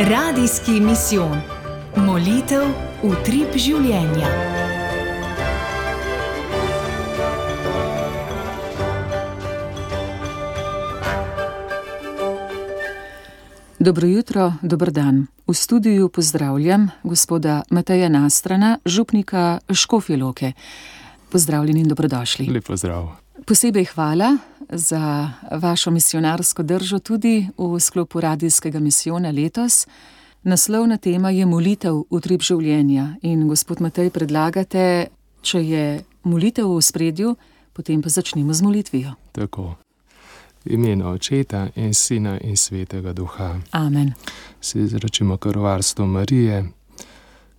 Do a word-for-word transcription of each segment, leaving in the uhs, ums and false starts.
Radijski misijon. Molitev utrip življenja. Dobro jutro, dober dan. V studiu pozdravljam gospoda Mateja Nastrana, župnika Škofje Loke. Pozdravljeni in dobrodošli. Lep pozdrav. Posebej hvala za vašo misionarsko držo tudi v sklopu radijskega misijona letos. Naslovna tema je molitev utrip življenja in gospod Matej predlagate, če je molitev v ospredju, potem pa začnemo z molitvijo. Tako. Imena Očeta in Sina in Svetega Duha. Amen. Se izrečimo kar varstvo Marije.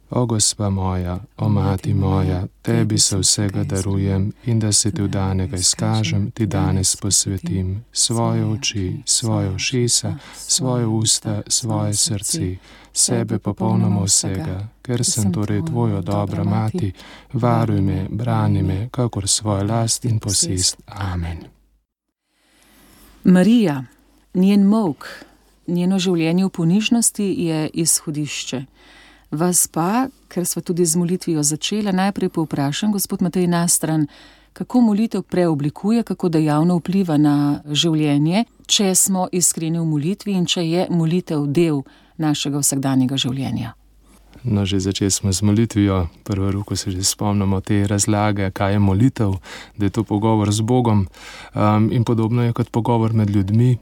O Gospa moja, o Mati moja, tebi se vsega darujem in da se ti v danega izkažem, ti danes posvetim svoje oči, svoje ušesa, svoje usta, svoje srce, sebe popolnoma vsega, ker sem torej tvoja dobra mati, varuj me, brani me, kakor svojo last in posest. Amen. Marija, njen molk, njeno življenje v ponižnosti je izhodišče. Vas pa, ker sva tudi z molitvijo začela, najprej povprašam, gospod Matej Nastran, kako molitev preoblikuje, kako dejavno vpliva na življenje, če smo iskreni v molitvi in če je molitev del našega vsakdanjega življenja. No, že začeli smo z molitvijo, prvo ruko se že spomnimo te razlage, kaj je molitev, da je to pogovor z Bogom um, in podobno je kot pogovor med ljudmi,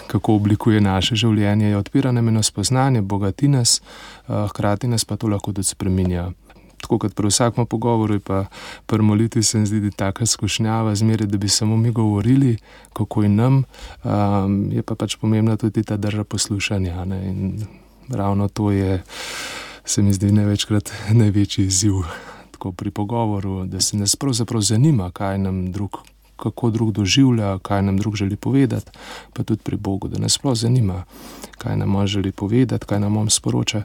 kako oblikuje naše življenje, je odpira nam eno spoznanje, bogati nas, uh, hkrati nas pa to lahko tudi spreminja. Tako kot pri vsakem pogovoru je pa pri molitvi se mi zdi, da je taka skušnjava zmeraj, da bi samo mi govorili, kako je nam, um, je pa pač pomembna tudi ta drža poslušanja, ne, in ravno to je, se mi zdi, največkrat največji izziv tako pri pogovoru, da se nas pravzaprav zanima, kaj nam drug, kako drug doživlja, kaj nam drug želi povedati, pa tudi pri Bogu, da nas sploh zanima, kaj nam on želi povedati, kaj nam on sporoča,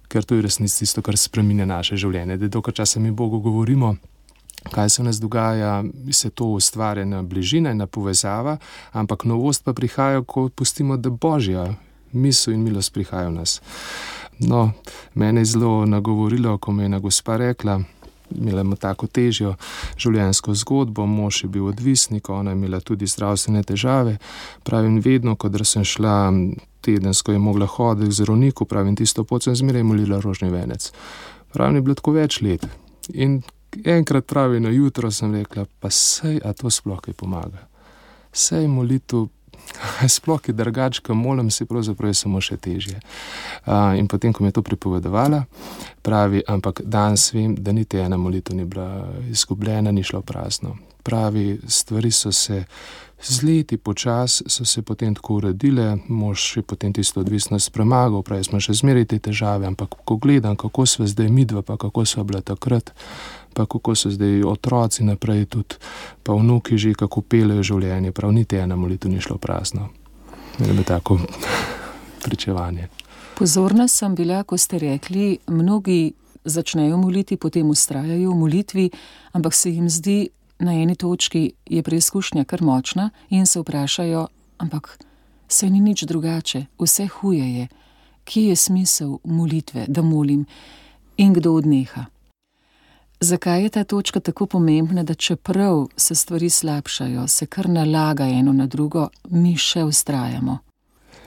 ker to je resnici tisto, kar spreminja naše življenje. Da dolgo časa mi Bogu govorimo, kaj se v nas dogaja, se to ustvarja na bližina in na povezava, ampak novost pa prihaja, ko pustimo, da Božja misel in milost prihaja v nas. No, mene je zelo nagovorilo, ko me je ena gospa rekla, imela ima tako težjo življenjsko zgodbo, mož je bil odvisnik, ona je imela tudi zdravstvene težave. Pravim, vedno, ko sem šla tedensko, je mogla hoditi k zdravniku, pravim, tisto pot sem zmeraj molila rožni venec. Pravim, je bilo tako več let. In enkrat pravi na jutro sem rekla, pa sej, a to sploh kaj pomaga. Sej molitev, sploh je drugačka, molim se, pravzaprav je samo še težje. Uh, in potem, ko mi je to pripovedovala, pravi, ampak danes vem, da niti ena molitev ni bila izgubljena, ni šla v prazno. Pravi, stvari so se z leti počas, so se potem tako uredile, mož je potem tisto odvisnost premagal, pravi, smo še zmeraj te težave, ampak ko gledam, kako sva zdaj midva, pa kako sva bila takrat, pa kako so zdaj otroci naprej tudi, pa vnuki že kako pelejo življenje, prav niti ena molitev ni šlo prazno. Mene bi tako pričevanje. Pozorna sem bila, ko ste rekli, mnogi začnejo moliti, potem vztrajajo v molitvi, ampak se jim zdi, na eni točki je preizkušnja kar močna in se vprašajo, ampak saj ni nič drugače, vse huje je. Kje je smisel molitve, da molim in kdo odneha? Zakaj je ta točka tako pomembna, da čeprav se stvari slabšajo, se kar nalaga eno na drugo, mi še vztrajamo?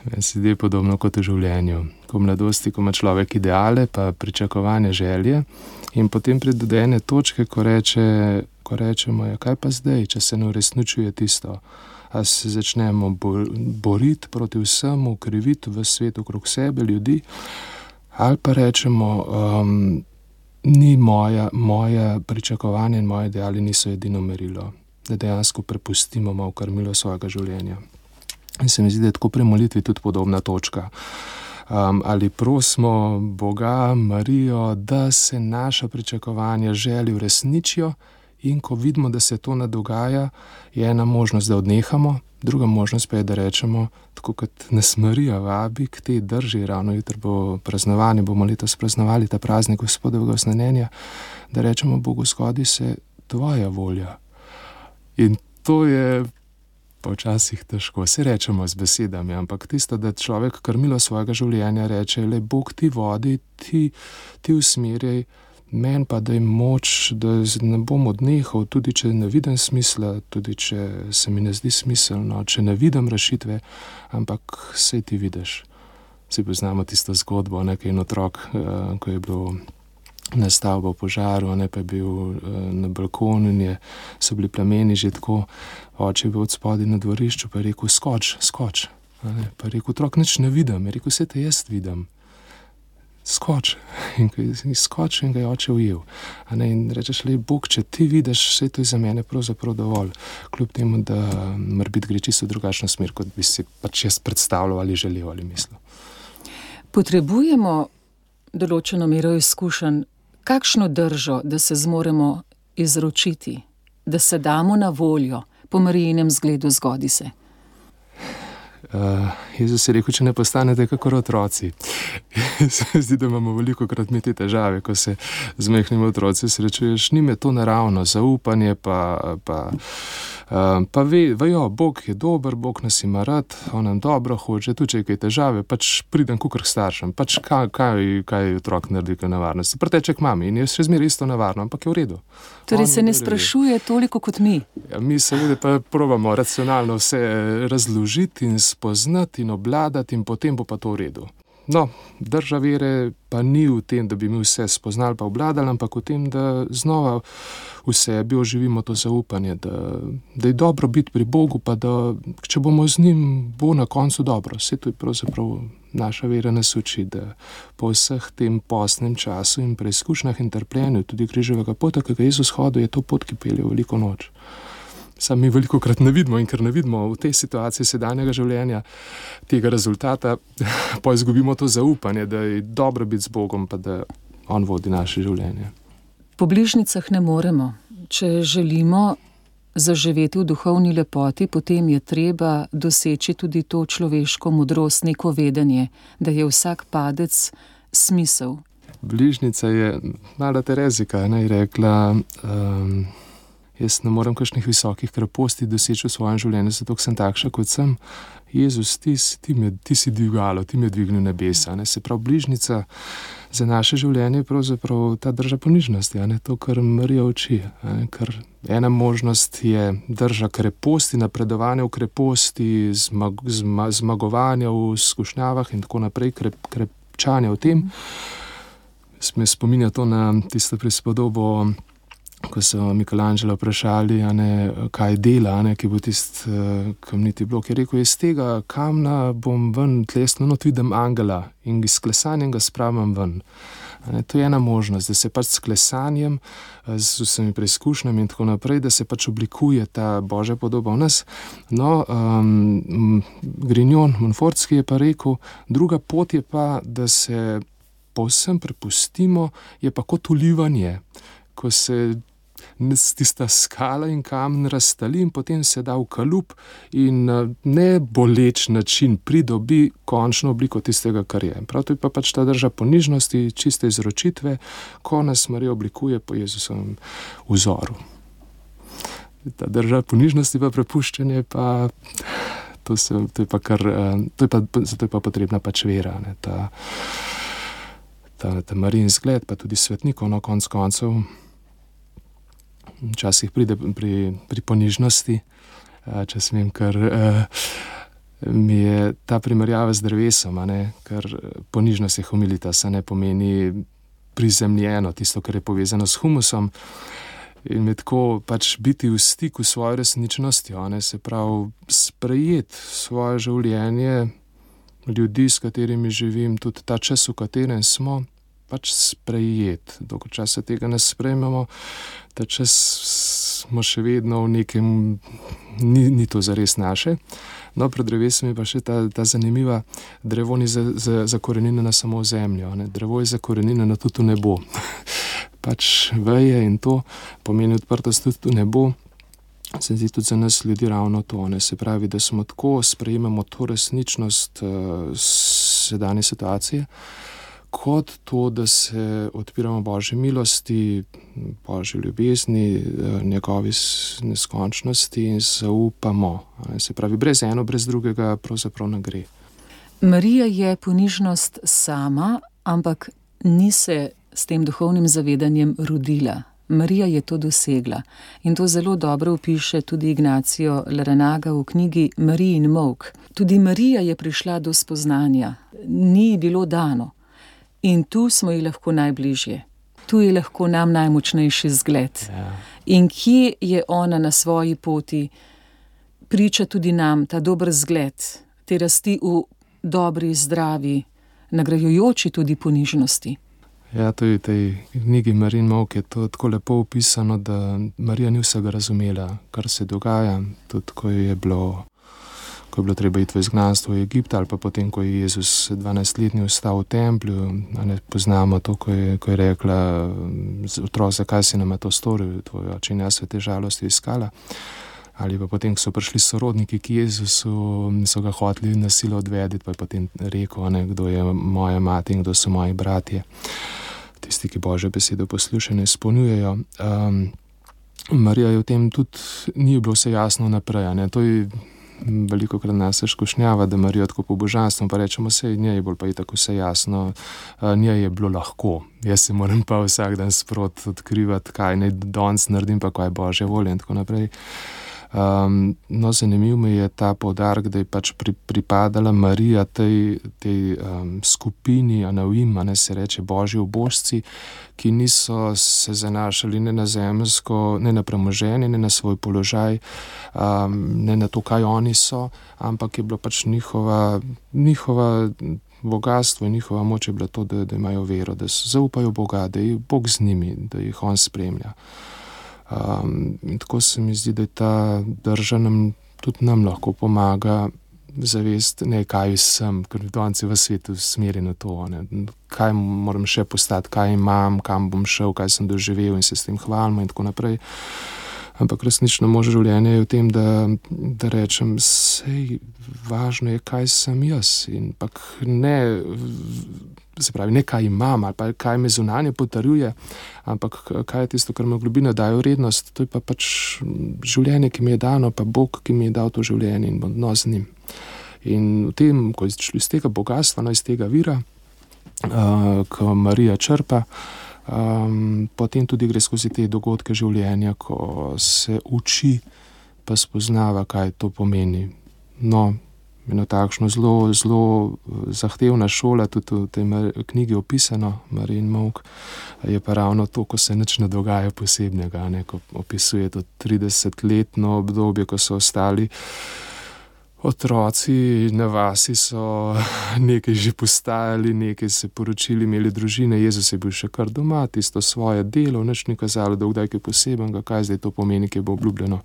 Meni se zdi podobno kot v življenju. Ko v mladosti, ko ima človek ideale, pa pričakovanje, želje in potem pride do ene točke, ko, reče, ko rečemo, ja, kaj pa zdaj, če se ne uresničuje tisto. A se začnemo boriti proti vsemu, kriviti v svetu okrog sebe ljudi, ali pa rečemo, um, ni moja, moja pričakovanja in moje ideali niso edino merilo, da dejansko prepustimo malo krmilo svojega življenja. In se mi zdi, da je tako pri molitvi tudi podobna točka. Um, ali prosimo Boga, Marijo, da se naša pričakovanja, želje uresničijo in ko vidimo, da se to ne dogaja, je ena možnost, da odnehamo, druga možnost pa je, da rečemo, tako kot nas Marija vabi k tej drži, ravno jutri bo praznovanje, bomo letos praznovali ta praznik Gospodovega osnanjenja, da rečemo Bogu, zgodi se tvoja volja. In to je pa včasih težko. Se rečemo z besedami, ampak tisto, da človek krmilo svojega življenja reče, le Bog ti vodi, ti, ti usmerjaj, men pa daj moč, da ne bom odnehal, tudi če ne vidim smisla, tudi če se mi ne zdi smiselno, če ne vidim rešitve, ampak sej ti vidiš. Vsi poznamo tisto zgodbo, nekaj en otrok, ko je bil na stavbo v požaru, ne, pa je bil na balkonu in je, so bili plameni že tako, oče je bil od spodaj na dvorišču, pa je rekel, skoč, skoč. Ne, pa je rekel, otrok, nič ne vidim, je rekel, vse te jaz vidim. Skoč. In ko je skočil in ga je oče ujel. A ne, in rečeš, le, Bog, če ti vidiš, vse to je za mene pravzaprav dovolj. Kljub temu, da mora biti gre čisto drugačno smer, kot bi si pač jaz predstavljal ali želel ali mislil. Potrebujemo določeno mero izkušenj, kakšno držo, da se zmoremo izročiti, da se damo na voljo po Marijinem zgledu zgodi se. Uh, Jezus je rekel, če ne postanete kakor otroci. Se zdi, da imamo veliko krat mi te težave, ko se z majhnimi otroci srečuješ, njim je to naravno, zaupanje pa, pa, uh, pa ve, vejo, Bog je dober, Bog nas ima rad, on nam dobro hoče, tudi če je kaj težave, pač pridem kukor k staršem, pač kaj, kaj, kaj otrok naredi kaj nevarnosti. Preteče k mami in je še zmeraj isto nevarno, ampak je v redu. Torej se ne sprašuje toliko kot mi. Ja, mi seveda pa probamo racionalno vse razložiti in spoznati in obladati in potem bo pa to v redu. No, drža vere pa ni v tem, da bi mi vse spoznali pa obladali, ampak v tem, da znova v sebi oživimo to zaupanje, da, da je dobro biti pri Bogu, pa da če bomo z njim, bo na koncu dobro. Vse to je pravzaprav naša vera nas uči, da po vseh tem postnem času in preizkušnjah in trpljenju, tudi križevega pota, ki ga Jezus hodil, je to pot, ki pelje v veliko noč. Sam mi veliko krat ne vidimo in ker ne vidimo v tej situaciji sedanjega življenja tega rezultata, pa izgubimo to zaupanje, da je dobro biti z Bogom, pa da on vodi naše življenje. Po bližnjicah ne moremo. Če želimo zaživeti v duhovni lepoti, potem je treba doseči tudi to človeško modrost, neko vedenje, da je vsak padec smisel. Bližnica je, mala Terezika, ne, je rekla, um, jaz ne morem kakšnih visokih kreposti doseči v svojem življenju, zato sem takša, kot sem. Jezus, ti, ti, me, ti si dvigalo, ti me dvignil nebesa. Ne? Se pravi, bližnica za naše življenje je pravzaprav ta drža ponižnosti, ne? To, kar Marija uči. Ne? Ker ena možnost je drža kreposti, napredovanja v kreposti, zmag, zma, zmagovanja v skušnjavah in tako naprej, krep, krepčanja v tem. Me spominja to na tisto prispodobo, ko so Michelangela vprašali, ne, kaj dela, ne, ki bo tist uh, kamniti blok. Je rekel, iz tega kamna bom ven tlesno, not vidim angela in s klesanjem ga spravim ven. Ne, to je ena možnost, da se pač s klesanjem, z vsemi preizkušnjami in tako naprej, da se pač oblikuje ta Božja podoba v nas. No, um, Grignon, Montfortski je pa rekel, druga pot je pa, da se povsem prepustimo, je pa kot ulivanje, ko se tista skala in kamen raztali in potem se da v kalup in ne boleč način pridobi končno obliko tistega, kar je. Prav to je pa pač ta drža ponižnosti, čiste izročitve, ko nas Marija oblikuje po Jezusovem vzoru. Ta drža ponižnosti pa prepuščanje pa, to, se, to je pa kar, to je pa, zato je pa potrebna pač vera, ne, ta, ta, ta Marijin zgled, pa tudi svetnikov na konc koncev. Včasih pride pri, pri ponižnosti, če smem, ker mi je ta primerjava z drevesom, ne, ker ponižnost je humilitas, ne pomeni prizemljeno, tisto, kar je povezano s humusom in me tako pač biti v stiku s svojo resničnostjo, ne, se pravi sprejeti svoje življenje, ljudi, s katerimi živim, tudi ta čas, v katerem smo, pač sprejeti. Dokaj časa tega ne sprejmemo, ta čas smo še vedno v nekem, ni, ni to zares naše. No, pred drevesom je pa še ta, ta zanimiva, drevo ni za, za, zakorenjeno samo v zemljo, ne? Drevo je zakorenjeno tudi v nebo. Pač veje in to pomeni odprtost tudi v nebo. Se zdi tudi za nas ljudi ravno to, ne? Se pravi, da smo tako, sprejemamo to resničnost uh, sedanje situacije, kot to, da se odpiramo Božji milosti, Božji ljubezni, njegovi neskončnosti in zaupamo. Se pravi, brez eno, brez drugega pravzaprav ne gre. Marija je ponižnost sama, ampak ni se s tem duhovnim zavedanjem rodila. Marija je to dosegla in to zelo dobro opiše tudi Ignacio Larranaga v knjigi Marijin molk. Tudi Marija je prišla do spoznanja, ni ji bilo dano in tu smo ji lahko najbližje. Tu je lahko nam najmočnejši zgled. Ja. In kje je ona na svoji poti, priča tudi nam ta dober zgled, te rasti v dobri, zdravi, nagrajujoči tudi ponižnosti. Ja, to je v tej knjigi Marijin molk je to tako lepo opisano, da Marija ni vsega razumela, kar se dogaja, tudi ko je bilo, ko je bilo treba iti v izgnanstvo v Egipt, ali pa potem, ko je Jezus dvanajstletni ostal v templju, ne poznamo to, ko je, ko je rekla, otrok, zakaj si nama to storil, tvoj oče in jaz v te žalosti iskala. Ali pa potem, ko so prišli sorodniki k Jezusu, so ga hoteli na silo odvedeti, pa je potem rekel, ne, kdo je moja mati in kdo so moji bratje. Tisti, ki Božjo besedo poslušajo in izpolnjujejo. Um, Marija je v tem tudi, ni bilo vse jasno naprej. Ne. To je veliko krat nas skušnjava, da Marijo tako po božanstvu, pa rečemo, sej njej bolj pa je tako vse jasno, uh, njej je bilo lahko. Jaz se moram pa vsak dan sprot odkrivati, kaj naj danes naredim, pa kaj je Božja volja in tako naprej. Um, no, zanimiv mi je ta poudarek, da je pač pri, pripadala Marija tej, tej um, skupini Anavim, ne se reče Božji ubožci, ki niso se zanašali ne na zemljsko, ne na premoženje, ne na svoj položaj, um, ne na to, kaj oni so, ampak je bilo pač njihova, njihova bogatstvo in njihova moč je bila to, da, da imajo vero, da zaupajo Boga, da je Bog z njimi, da jih on spremlja. Um, in tako se mi zdi, da je ta drža nam, tudi nam lahko pomaga zavest, ne, kaj sem, ker danes je v svetu smerjeno to, ne, kaj moram še postati, kaj imam, kam bom šel, kaj sem doživel in se s tem hvalimo in tako naprej. Ampak resnično moje življenje je v tem, da, da rečem, sej važno je, kaj sem jaz in pak ne, se pravi, ne kaj imam ali pa kaj me zunanje potrjuje, ampak kaj je tisto, kar me v globini daje vrednost, to je pa pač življenje, ki mi je dano, pa Bog, ki mi je dal to življenje in odnos z njim. In v tem, ko je šlo iz tega bogatstva, no iz tega vira, uh, ko Marija črpa, Um, potem tudi gre skozi te dogodke življenja, ko se uči pa spoznava, kaj to pomeni. No, eno takšno zelo, zelo zahtevna šola, tudi v tej knjigi opisano, Marijin molk, je pa ravno to, ko se nič ne dogaja posebnega, ne, ko opisuje to tridesetletno obdobje, ko so ostali otroci na vasi, so nekaj že postajali, nekaj se poročili, imeli družine, Jezus je bil še kar doma, tisto svoje delo, nič ni kazalo, da kdaj kaj posebenega, kaj zdaj to pomeni, ki bo obljubljeno,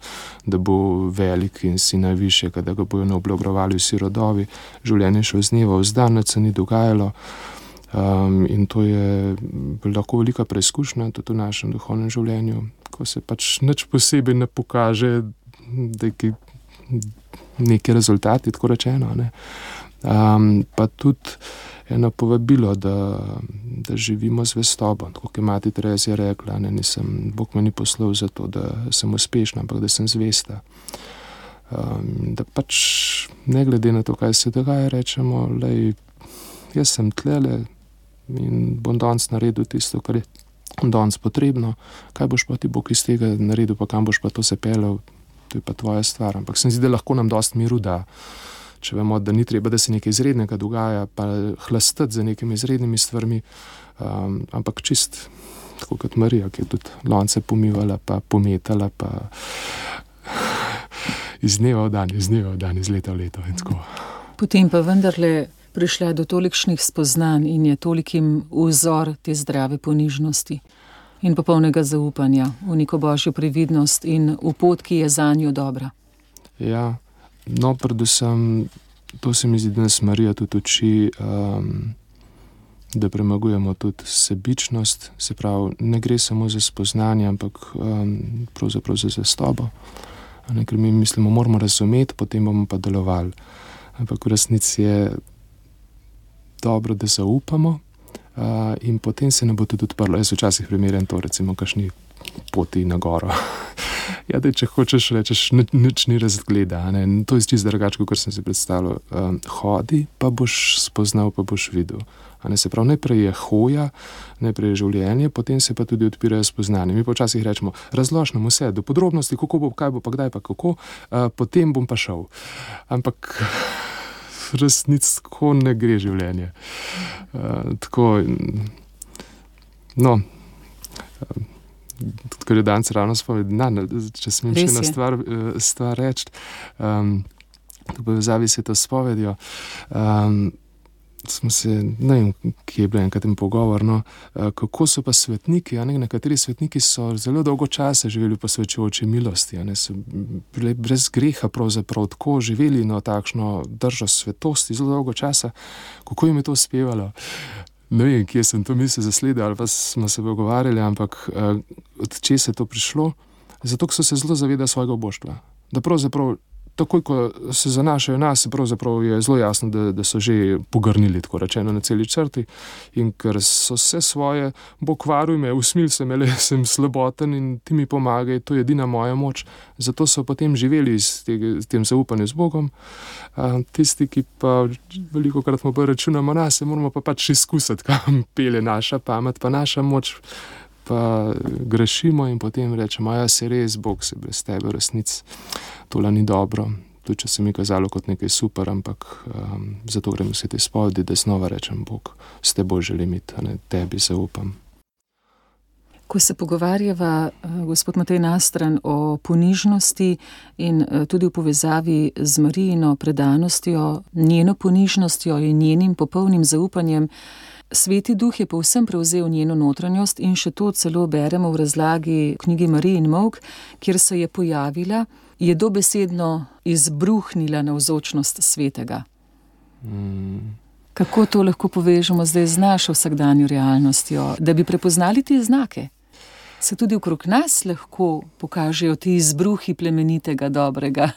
da bo velik in si najvišjega, da ga bojo naoblagovali vsi rodovi, življenje šlo z dneva v dan, nič se ni dogajalo. Um, in to je lahko velika preizkušnja tudi v našem duhovnem življenju, ko se pač nič posebej ne pokaže, da je neki rezultati, tako rečeno. Ne. Um, pa tudi eno povabilo, da, da živimo zvestobo. Tako kot je mati Terezija rekla, ne, nisem, Bog me ni poslal za to, da sem uspešna, ampak da sem zvesta. Um, da pač ne glede na to, kaj se dogaja, rečemo, lej, jaz sem tlele in bom danes naredil tisto, kar je danes potrebno. Kaj boš pa ti Bog iz tega naredil, pa kam boš pa to se pelal, to je pa tvoja stvar. Ampak se mi zdi, da lahko nam dosti miru da, če vemo, da ni treba, da se nekaj izrednega dogaja, pa hlastati za nekimi izrednimi stvarmi, um, ampak čist, tako kot Marija, ki je tudi lonce pomivala, pa pometala, pa iz dneva v dan, iz dneva v dan, iz leta v leto in tako. Potem pa vendarle prišla do tolikšnih spoznanj in je tolikim vzor te zdrave ponižnosti in popolnega zaupanja v neko Božjo previdnost in v pot, ki je zanjo dobra. Ja, no, predvsem to se mi zdi, da nas Marija tudi uči, um, da premagujemo tudi sebičnost, se pravi, ne gre samo za spoznanje, ampak um, pravzaprav za zvestobo. Ker mi mislimo, moramo razumeti, potem bomo pa delovali. Ampak v resnici je dobro, da zaupamo, uh, in potem se ne bo tudi odprlo. Jaz včasih primerjam to, recimo, kakšni poti na goro. Ja, da če hočeš, rečeš, nič ni razgleda, ne? To je čisto drugače, kot sem si predstavljal. Um, hodi, pa boš spoznal, pa boš videl. A ne, se pravi, najprej je hoja, najprej je življenje, potem se pa tudi odpirajo spoznanje. Mi pa včasih rečemo, razlož nam vse, do podrobnosti, kako bo, kaj bo, pa kdaj, pa kako, uh, potem bom pa šel. Ampak resnic tako ne gre življenje. Uh, tako, no, uh, ker je danes ravno spovedna, če smem še ena stvar, stvar reči, um, v povezavi se to spovedijo, um, smo se, ne vem, kje je bilo enkrat in pogovor, no, kako so pa svetniki, a ne, nekateri svetniki so zelo dolgo časa živeli posvečujoči milosti, a ne, so bili brez greha pravzaprav tako živeli, no, takšno držo svetosti zelo dolgo časa, kako jim je to uspevalo. Ne vem, kje sem to misel zasledil, ali pa smo se pogovarjali, ampak uh, od česa je to prišlo? Zato, ker so se zelo zavedali svojega oboštva. Da pravzaprav, takoj, ko se zanašajo nas, pravzaprav je zelo jasno, da, da so že pogrnili, tako rečeno, na celi črti. In ker so vse svoje, Bog varuj me, usmil se me, le sem slaboten in ti mi pomagaj, to je edina moja moč. Zato so potem živeli s, tega, s tem zaupanjem z Bogom. Uh, tisti, ki pa veliko krat mu pa računamo nas, se moramo pa pač izkusiti, kam pele naša pamet, pa naša moč, pa grešimo in potem rečemo, ja, se res, Bog se brez tebe resnic, tole ni dobro. Tudi če se mi kazalo kot nekaj super, ampak um, zato grem vse te spovedi, da znova rečem, Bog, s teboj želim iti, a ne tebi zaupam. Ko se pogovarjava, gospod Matej Nastran, o ponižnosti in tudi v povezavi z Marijino predanostjo, njeno ponižnostjo in njenim popolnim zaupanjem, Sveti Duh je povsem prevzel njeno notranjost in še to celo beremo v razlagi knjigi Marijin molk, kjer se je pojavila, je dobesedno izbruhnila navzočnost svetega. Mm. Kako to lahko povežemo zdaj z našo vsakdanjo realnostjo, da bi prepoznali te znake? Se tudi okrog nas lahko pokažejo ti izbruhi plemenitega, dobrega?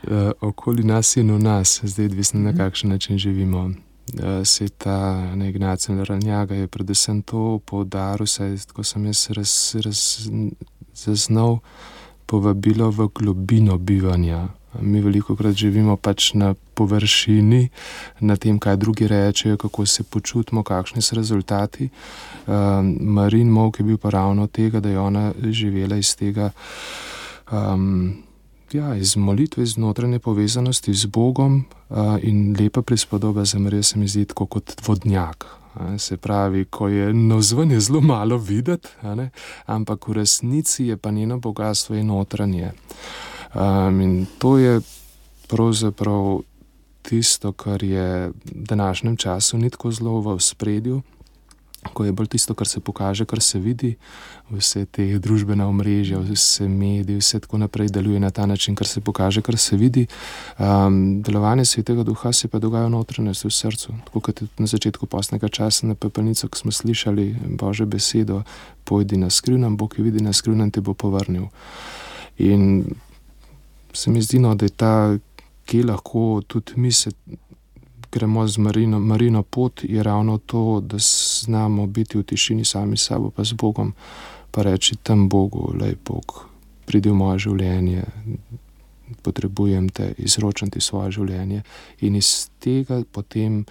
E, okoli nas in v nas, zdaj odvisno na kakšen način živimo. E, se ta Ignacij Larrañaga je predvsem to poudaril, saj tako sem jaz raz, raz, zaznal povabilo v globino bivanja. Mi veliko krat živimo pač na površini, na tem, kaj drugi rečejo, kako se počutimo, kakšni so rezultati. Um, Marijin molk je bil pa ravno tega, da je ona živela iz tega, um, ja, iz molitve, iz notranje povezanosti z Bogom uh, in lepa prispodoba za Marijo se mi zdi tako kot vodnjak. Se pravi, ko je navzven je zelo malo videti, ampak v resnici je pa njeno bogatstvo in notranje. Um, in to je pravzaprav tisto, kar je v današnjem času ni tako zelo v ospredju, ko je bolj tisto, kar se pokaže, kar se vidi, vse te družbena omrežja, vse mediji, vse tako naprej deluje na ta način, kar se pokaže, kar se vidi. Um, delovanje Svetega Duha se pa dogaja v notranjosti, v srcu. Tako kot na začetku postnega časa na pepelnico, ko smo slišali Božjo besedo, pojdi na skrivnem, Bog je vidi na skrivnem, te bo povrnil. In se mi zdi, no, da je ta, ki lahko tudi mi se gremo z Marino, Marino pot, je ravno to, da znamo biti v tišini sami s sabo, pa z Bogom, pa reči tam Bogu, lej Bog, pridi v moje življenje, potrebujem te, izročam ti svoje življenje. In iz tega potem,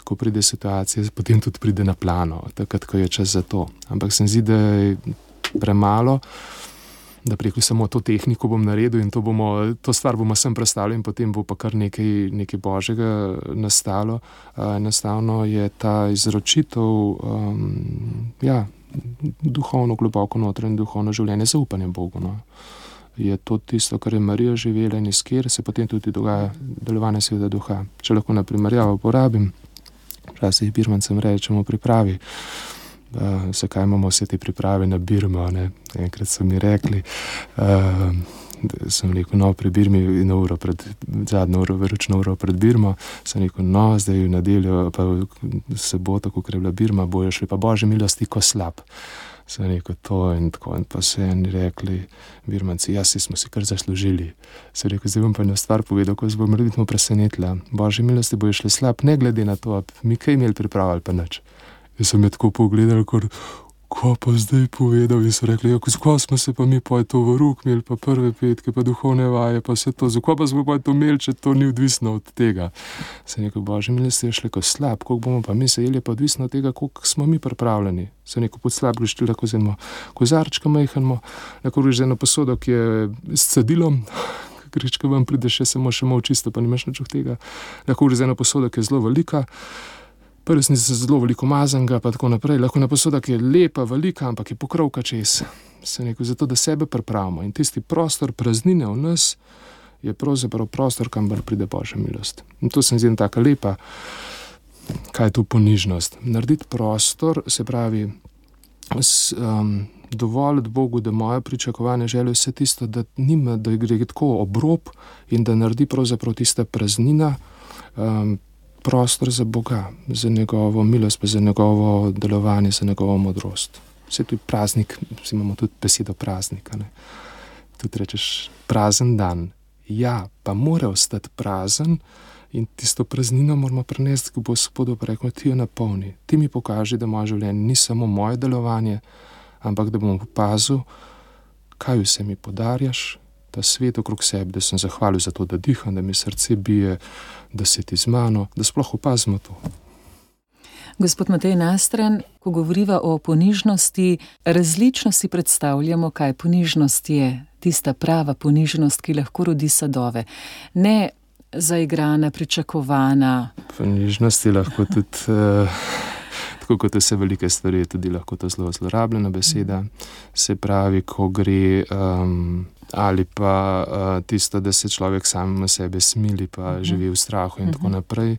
ko pride situacija, potem tudi pride na plano, takrat, ko je čas za to. Ampak se mi zdi, da je premalo, da preko samo to tehniko bom naredil in to, bomo, to stvar bomo sem predstavili in potem bo pa kar nekaj, nekaj Božjega nastalo. Uh, enostavno je ta izročitev um, ja, duhovno, globoko notranje duhovno življenje, zaupanje Bogu. No. Je to tisto, kar je Marija živela in iz kjer se potem tudi dogaja delovanje Svetega Duha. Če lahko na primerjavo porabim, včasih birmancem rečemo pripravi. Uh, zakaj imamo vse te priprave na Birmo, ne? Enkrat so mi rekli, uh, sem rekel, no, pri Birmi na uro pred, zadnjo uro, veročno uro pred Birmo, sem rekel, no, zdaj v nedeljo, pa v soboto, ko je bila Birma, bojo šli pa Božje milosti ko slab. Sem rekel to in tako in pa se eni rekli, Birmanci, ja, si smo si kar zaslužili. Sem rekel, zdaj bom pa eno stvar povedal, ko se bo morebitno presenetila. Božje milosti bojo šle slab, ne glede na to, mi kaj imeli pripravili pa nič. Jaz sem je tako pogledal, kar, ko pa zdaj povedal, in so rekli, ja, zakaj smo se pa mi pa to v rok imeli, pa prve petke, pa duhovne vaje, pa vse to, zakaj pa smo pa to imeli, če to ni odvisno od tega. Sem rekel, Božje milosti je šle ko slab, koliko bomo pa mi se jeli, pa odvisno od tega, koliko smo mi pripravljeni. Sem rekel, pod slab greš ti lahko z eno kozarčka majhnemo, lahko greš z eno posodo, ki je s cedilom, greš, ko vam prideš še samo še malo čisto, pa nimaš nič od tega. Lahko greš z eno posodo, ki je zelo velika, pa resnici zelo veliko mazanga, pa tako naprej. Lahko na posoda, ki je lepa, velika, ampak je pokrovka čez. Sem rekel, zato da sebe pripravimo. In tisti prostor praznine v nas je pravzaprav prostor, kamor pride Božja milost. In to se mi zdi taka lepa, kaj je to ponižnost. Narediti prostor, se pravi, s, um, dovoliti Bogu, da moje pričakovanje želje vse tisto, da nima, da gre tako obrob in da naredi pravzaprav tista praznina, um, prostor za Boga, za njegovo milost, pa za njegovo delovanje, za njegovo modrost. Vse tu je praznik, imamo tudi besedo praznika. Ne? Tudi rečeš prazen dan. Ja, pa mora ostati prazen in tisto praznino moramo prenesti k Gospodu, pa rekamo, ti jo napolni. Ti mi pokaži, da moje življenje ni samo moje delovanje, ampak da bom opazil, kaj vse mi podarjaš, ta svet okrog sebe, da sem zahvalil za to, da diham, da mi srce bije, da si ti z mano, da sploh opazimo to. Gospod Matej Nastran, ko govoriva o ponižnosti, različno si predstavljamo, kaj ponižnost je. Tista prava ponižnost, ki lahko rodi sadove. Ne zaigrana, pričakovana. Ponižnost je lahko tudi, uh, tako kot vse velike stvari, tudi lahko to zelo zlorabljena beseda. Se pravi, ko gre... Um, ali pa uh, tisto, da se človek sam na sebe smili, pa uh-huh. živi v strahu in uh-huh. tako naprej.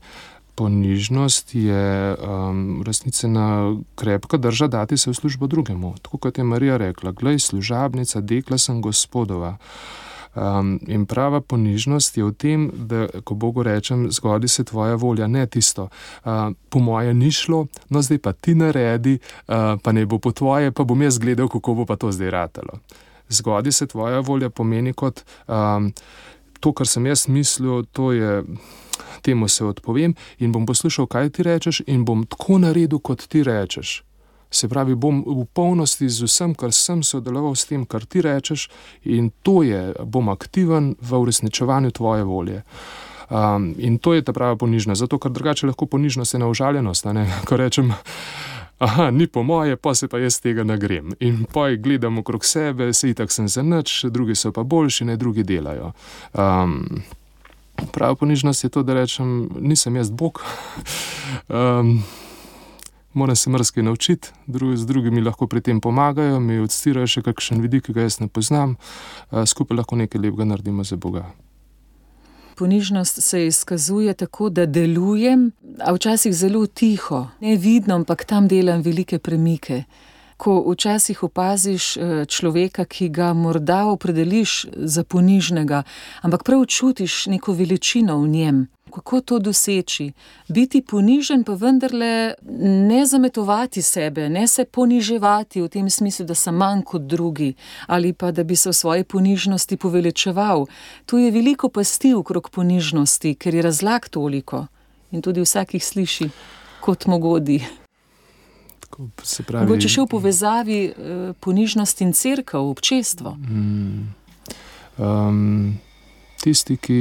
Ponižnost je um, resnicena krepka drža dati se v službo drugemu. Tako kot je Marija rekla, glej, služabnica, dekla sem Gospodova. Um, in prava ponižnost je v tem, da ko Bogu rečem, zgodi se tvoja volja, ne tisto. Uh, po moje ni šlo, no zdaj pa ti naredi, uh, pa ne bo po tvoje, pa bom jaz gledal, kako bo pa to zdaj ratalo. Zgodi se tvoja volja pomeni kot um, to, kar sem jaz mislil, to je, temu se odpovem in bom poslušal, kaj ti rečeš in bom tako naredil, kot ti rečeš. Se pravi, bom v polnosti z vsem, kar sem sodeloval s tem, kar ti rečeš in to je, bom aktiven v uresničevanju tvoje volje. Um, in to je ta prava ponižnost, zato ker drugače lahko ponižnost je neužaljenost, a ne, ko rečem, aha, ni po moje, pa se pa jaz tega nagrem. In pa gledam okrog sebe, se itak sem za nič, drugi so pa boljši, ne drugi delajo. Um, prava ponižnost je to, da rečem, nisem jaz Bog, um, moram se marsikaj naučiti, drugi z drugimi lahko pri tem pomagajo, mi odstirajo še kakšen vidik, ki ga jaz ne poznam, uh, skupaj lahko nekaj lepega naredimo za Boga. Ponižnost se izkazuje tako, da delujem, a včasih zelo tiho, nevidno, ampak tam delam velike premike. Ko včasih opaziš človeka, ki ga morda opredeliš za ponižnega, ampak prav čutiš neko veličino v njem. Kako to doseči? Biti ponižen, pa vendarle ne zametovati sebe, ne se poniževati v tem smislu, da sem manj kot drugi, ali pa da bi se v svoji ponižnosti poveličeval. Tu je veliko pasti okrog ponižnosti, ker je razlag toliko in tudi vsak jih sliši kot mogodi. Se pravi, mogoče še v povezavi eh, ponižnost in cerkev, občestvo. Mm, um, tisti, ki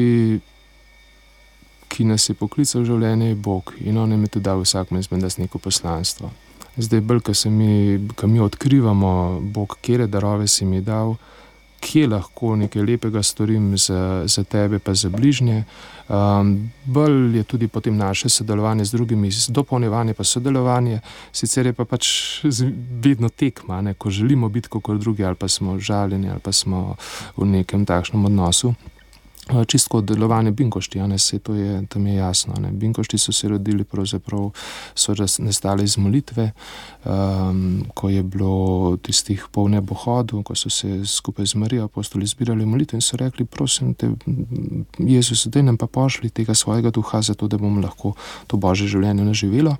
ki nas je poklical v življenje, je Bog in on nam je tudi dal vsakmu izmed nas neko poslanstvo. Zdaj, bolj, ko se mi, ko mi odkrivamo, Bog, kjere darove si mi dal, kje lahko nekaj lepega storim za, za tebe pa za bližnje, um, bolj je tudi potem naše sodelovanje z drugimi, dopolnjevanje pa sodelovanje, sicer je pa pač vedno tekma, ne, ko želimo biti kot drugi, ali pa smo žaljeni, ali pa smo v nekem takšnem odnosu. Čistko delovanje binkošti, ne, se to je, tam je jasno. Ne. Binkošti so se rodili, pravzaprav so nastali iz molitve, um, ko je bilo tistih pol nebohodov, ko so se skupaj z Marijo apostoli zbirali molitve in so rekli, prosim te, Jezus, daj nam pa pošli tega svojega duha, zato da bomo lahko to Božje življenje naživelo.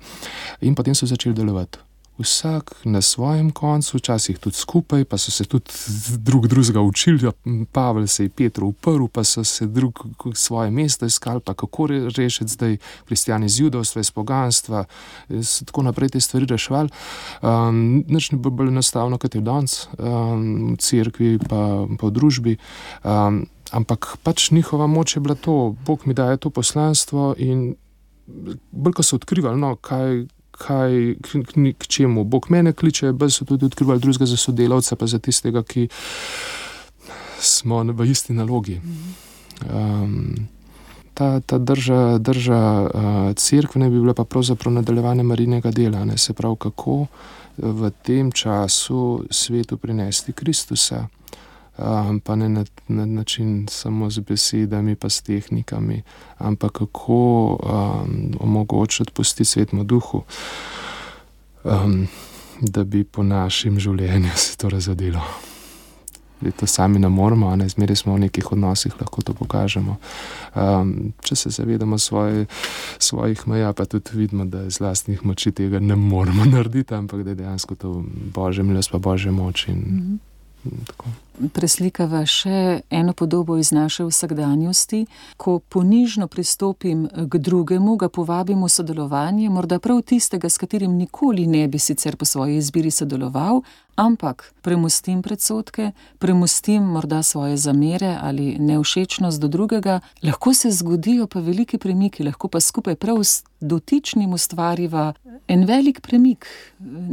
In potem so začeli delovati. vsak na svojem koncu, včasih tudi skupaj, pa so se tudi drug drugega učili. Pavel se je Petru uprl, pa so se drug svoje mesto iskali, pa kako rešiti zdaj kristjani z judovstva, iz poganstva, so tako naprej te stvari reševali. Um, nič ne bo bolj enostavno, kot je danes, um, v cerkvi pa, pa v družbi. Um, ampak pač njihova moč je bila to, Bog mi daje to poslanstvo in bolj, ko so odkrivali, no, kaj, kaj, k, k čemu Bog mene kliče, bolj so tudi odkrivali drugega za sodelavca, pa za tistega, ki smo v isti nalogi. Um, ta, ta drža, drža uh, cerkve ne bi bila pa pravzaprav nadaljevanje Marijinega dela, ne, se pravi, kako v tem času svetu prinesti Kristusa. Um, pa ne na, na način samo z besedami pa s tehnikami, ampak kako um, omogočiti pustiti Svetemu Duhu, um, da bi po našem življenju se to razodelo. To sami ne moramo, ne, zmeraj smo v nekih odnosih, lahko to pokažemo. Um, če se zavedamo svoje, svojih meja, pa tudi vidimo, da iz lastnih moči tega ne moramo narediti, ampak da je dejansko to Božja milost pa Božja moč in mm-hmm. Tako. Preslikava še eno podobo iz naše vsakdanjosti. Ko ponižno pristopim k drugemu, ga povabim v sodelovanje, morda prav tistega, s katerim nikoli ne bi sicer po svoji izbiri sodeloval, ampak premustim predsodke, premustim morda svoje zamere ali nevšečnost do drugega, lahko se zgodijo pa veliki premiki, lahko pa skupaj prav s dotičnim ustvariva en velik premik,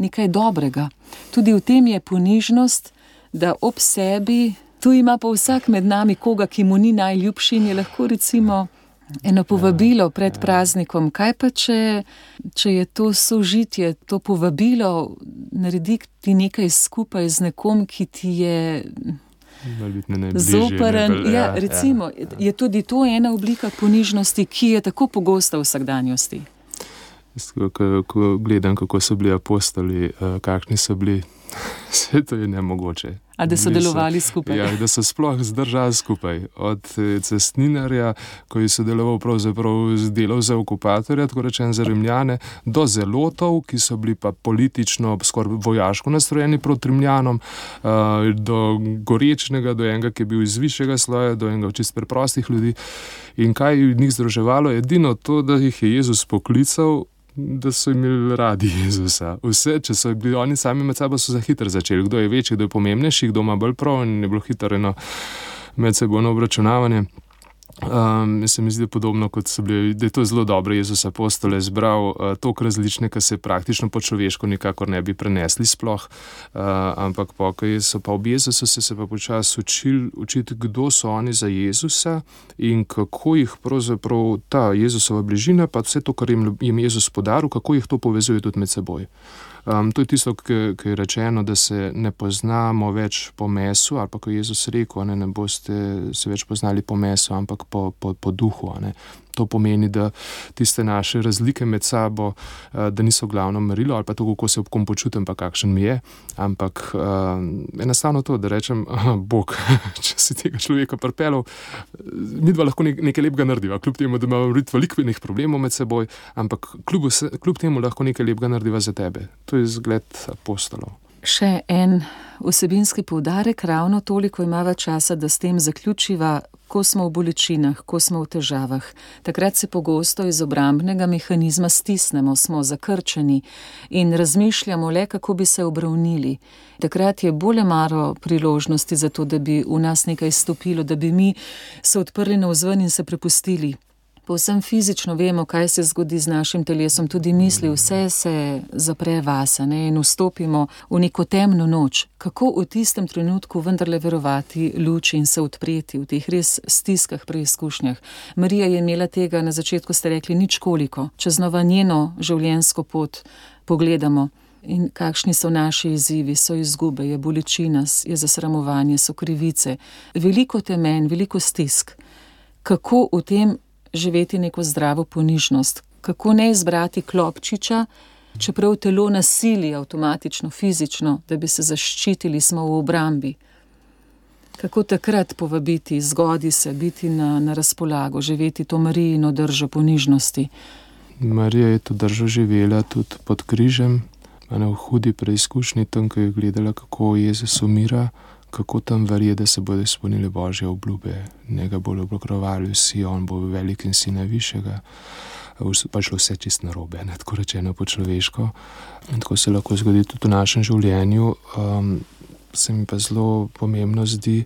nekaj dobrega. Tudi v tem je ponižnost, da ob sebi, tu ima pa vsak med nami koga, ki mu ni najljubši in je lahko recimo eno povabilo pred praznikom. Kaj pa, če, če je to sožitje, to povabilo, narediti nekaj skupaj z nekom, ki ti je zoperen. Ja, recimo, ja, ja. Je tudi to ena oblika ponižnosti, ki je tako pogosta v vsakdanjosti. Ko, ko gledam, kako so bili apostoli, kakšni so bili, vse to je nemogoče. A da so delovali skupaj? Ja, da so sploh zdržali skupaj. Od cestninarja, ko je sodeloval pravzaprav z delov za okupatorja, tako rečen za Rimljane, do zelotov, ki so bili pa politično, skoraj vojaško nastrojeni proti Rimljanom, do gorečnega, do enega, ki je bil iz višjega sloja, do enega čist preprostih ljudi. In kaj je njih združevalo? Edino to, da jih je Jezus poklical, da so imeli radi Jezusa. Vse, če so bili oni sami med sabo, so za hitro začeli. Kdo je večji, kdo je pomembnejši, kdo ima bolj prav in je bilo hitro eno medsebojno obračunavanje. Um, se mi zdi podobno, kot so bili, da je to zelo dobro. Jezus apostole zbral uh, toliko različne, ki se praktično po človeško nikakor ne bi prenesli sploh, uh, ampak pa, ko so pa ob Jezusu se, se pa počasi učili, učiti, kdo so oni za Jezusa in kako jih pravzaprav ta Jezusova bližina, pa vse to, kar jim, jim Jezus podaril, kako jih to povezuje tudi med seboj. Um, to je tisto, ki je rečeno, da se ne poznamo več po mesu, ali pa ko je Jezus rekel, ne, ne boste se več poznali po mesu, ampak po, po, po duhu. Ne. To pomeni, da tiste naše razlike med sabo, da niso glavno merilo, ali pa to, kako se ob kom počutim, pa kakšen mi je, ampak uh, enostavno to, da rečem, aha, Bog, če si tega človeka pripeljal, mi dva lahko nekaj lepega narediva, kljub temu, da imamo veliko problemov med seboj, ampak kljub, kljub temu lahko nekaj lepega narediva za tebe. To je zgled apostolov. Še en vsebinski poudarek, ravno toliko imava časa, da s tem zaključiva, ko smo v bolečinah, ko smo v težavah. Takrat se pogosto iz obrambnega mehanizma stisnemo, smo zakrčeni in razmišljamo le, kako bi se obravnili. Takrat je bolj maro priložnosti za to, da bi v nas nekaj stopilo, da bi mi se odprli navzven in se prepustili. Povsem fizično vemo, kaj se zgodi z našim telesom, tudi misli, vse se zapre vase, ne, in vstopimo v neko temno noč. Kako v tistem trenutku vendarle verovati luči in se odpreti v teh res stiskah, preizkušnjah? Marija je imela tega, na začetku ste rekli, nič koliko. Če znova njeno življenjsko pot pogledamo in kakšni so naši izzivi, so izgube, je bolečina, je zasramovanje, so krivice, veliko temen, veliko stisk. Kako v tem živeti neko zdravo ponižnost, kako ne izbrati klopčiča, čeprav telo nasili avtomatično, fizično, da bi se zaščitili, smo v obrambi. Kako takrat povabiti, zgodi se, biti na, na razpolago, živeti to Marijino držo ponižnosti? Marija je to držo živela tudi pod križem, v hudi preizkušnji tam, ko je gledala, kako Jezus umira, kako tam verje, da se bodo izpolnile Božje obljube. Njega bodo obokrovali vsi, on bo velik in sina višjega. Pa šlo vse čist narobe, ne, tako rečeno po človeško. In tako se lahko zgodi tudi v našem življenju. Um, se mi pa zelo pomembno zdi,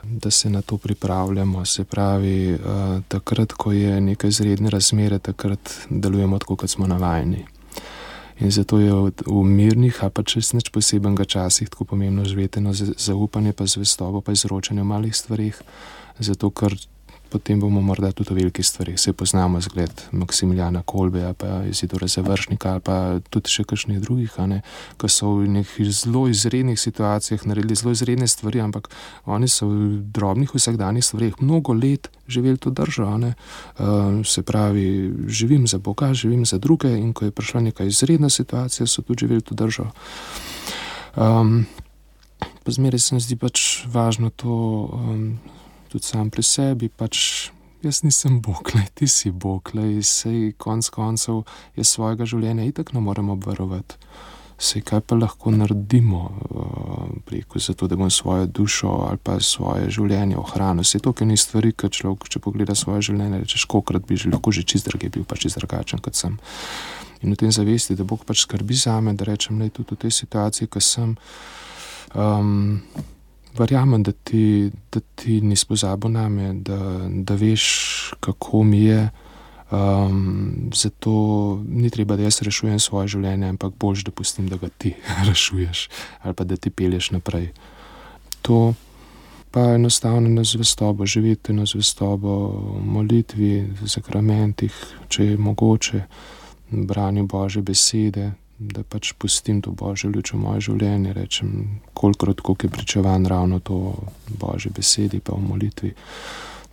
da se na to pripravljamo. Se pravi, uh, takrat, ko je neke izredne razmere, takrat delujemo tako, kot smo navajeni. In zato je v, v mirnih, a pa čez nič posebenega časih tako pomembno živeti eno zaupanje, pa zvestobo, pa izročanje v malih stvarih, zato ker potem bomo morda tudi v velikih stvarih. Se poznamo zgled Maksimiljana Kolbeja, pa Izidora Završnika, ali pa tudi še kakšnih drugih, a ne, ko so v nekih zelo izrednih situacijah naredili zelo izredne stvari, ampak oni so v drobnih vsakdanjih stvarih mnogo let živeli to držo, a ne. Uh, se pravi, živim za Boga, živim za druge, in ko je prišla neka izredna situacija, so tudi živeli to držo. Um, pa zmeraj se mi zdi pač važno to, um, tudi sam pri sebi, pač jaz nisem Bog, lej, ti si Bog, lej, sej konc koncev je svojega življenja itak ne moremo obvarovati. Sej kaj pa lahko naredimo uh, preko zato, da bom svojo dušo ali pa svoje življenje ohranil. Sej to, ker ni stvari, kad človek, če pogleda svoje življenje, rečeš, kolikrat bi že lahko že čist drage bil, pa čist drugačen, kot sem. In v tem zavesti, da Bog pač skrbi zame, da rečem, lej, tudi v tej situaciji, ko sem, um, verjamem, da ti, da ti nisi pozabil name, da, da veš, kako mi je. Um, zato ni treba, da jaz rešujem svoje življenje, ampak boljš, da pustim, da ga ti rešuješ ali pa da ti pelješ naprej. To pa enostavno na zvestobo, živeti na zvestobo v molitvi, v sakramentih, če je mogoče, branju Božje besede, da pač pustim to Božjo luč v moje življenje, rečem, kolikrat, koliko je pričevan ravno to Božje besedi, pa v molitvi.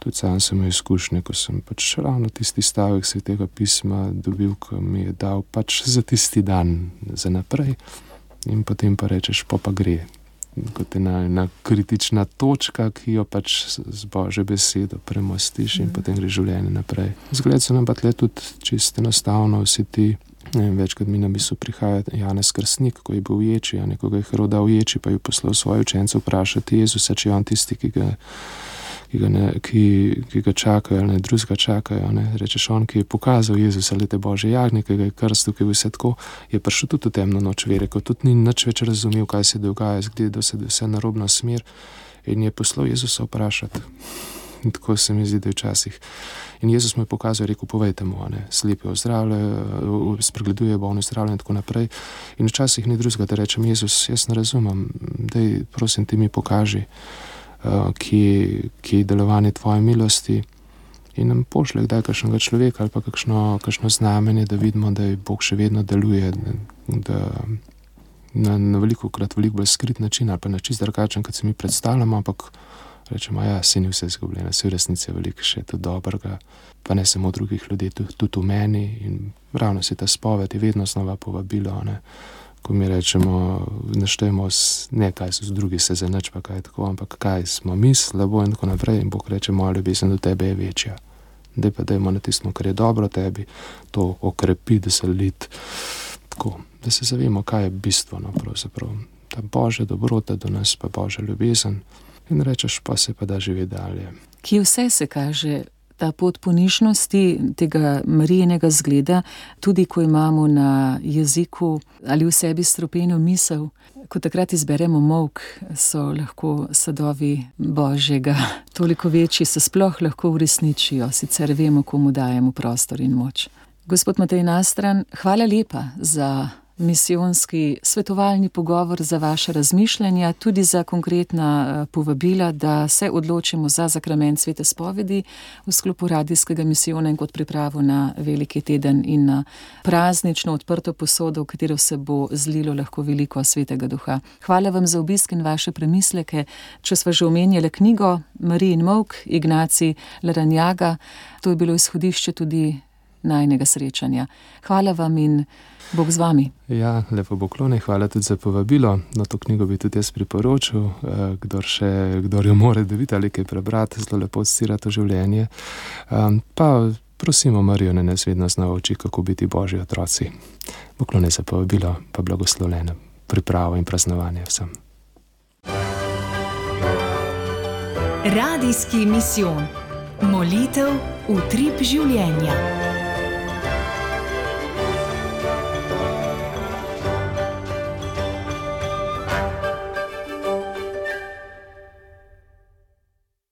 Tudi sam sem imel izkušnje, ko sem pač ravno tisti stavek Svetega pisma dobil, ko mi je dal pač za tisti dan, za naprej, in potem pa rečeš, pa pa gre. Kot ena, ena kritična točka, ki jo pač z Božjo besedo premostiš in mm. potem gre življenje naprej. Zgled so nam pa tle tudi čisto enostavno vsi ti. Večkrat mi na misel prihaja Janez Krstnik, ko je bil v ječi, a nekoga je Herod dal v ječi, pa je poslal svoje učence vprašati Jezusa, če je on tisti, ki ga, ki ga, ne, ki, ki ga čakajo, ali ne drugega čakajo. Ne. Rečeš, on, ki je pokazal Jezusa, lete Božje jagnje, ki ga je krstil, ki je vse tako, je prišel tudi v temno noč vere, ko tudi ni nič več razumel, kaj se dogaja, zgleda se vse narobna smer, in je poslal Jezusa vprašati. In tako se mi zdi, da je včasih. In Jezus mu je pokazal, rekel, povejte mu, ne, slepi ozdravljajo, spregleduje bolne zdravljenje in tako naprej. In včasih ni drugega, da rečem, Jezus, jaz ne razumem, daj, prosim, ti mi pokaži, uh, kje, kje je delovanje tvoje milosti, in nam pošle kdaj kakšnega človeka ali pa kakšno, kakšno znamenje, da vidimo, da je Bog še vedno deluje, da na, na veliko krat veliko bolj skrit način ali pa na čist drugačen, kot se mi predstavljamo, ampak rečemo, ja, se ni vse izgubljeno, se v resnici je veliko še tudi dobrega, pa ne samo drugih ljudi, tudi, tudi v meni, in ravno se ta spoved je vedno znova povabilo, ne, ko mi rečemo, naštejemo, ne kaj so drugi se za nič, pa kaj tako, ampak kaj smo mi slabo in tako naprej, in Bog reče, moja ljubezen do tebe je večja. Daj pa dajmo na tistem, kar je dobro tebi, to okrepi, da se lid, tako, da se zavemo, kaj je bistveno pravzaprav, ta Božja dobrota do nas, pa Božja ljubezen. In rečeš, pa se pa da živeti dalje. Kje vse se kaže ta pot ponižnosti, tega Marijinega zgleda, tudi ko imamo na jeziku ali v sebi stropeno misel, ko takrat izberemo molk, so lahko sadovi Božjega toliko večji, se sploh lahko uresničijo, sicer vemo, komu dajemo prostor in moč. Gospod Matej Nastran, hvala lepa za misijonski svetovalni pogovor, za vaše razmišljanja, tudi za konkretna povabila, da se odločimo za zakrament svete spovedi v sklopu radijskega misijona in kot pripravo na veliki teden in na praznično odprto posodo, v katero se bo zlilo lahko veliko svetega duha. Hvala vam za obisk in vaše premisleke. Če sva že omenjala knjigo Marijin molk, Ignacij Larrañaga, to je bilo izhodišče tudi najnega srečanja. Hvala vam in Bog z vami. Ja, lepo poklone, hvala tudi za povabilo. Na to knjigo bi tudi jaz priporočil, kdor še, kdor jo more dobiti ali kaj prebrati, zelo lepo odsira to življenje. Pa prosimo Marijo, naj nas vedno znova uči, kako biti Božji otroci. Poklone za povabilo, pa blagoslovljeno pripravo in praznovanje vsem. Radijski misijon. Molitev, utrip življenja.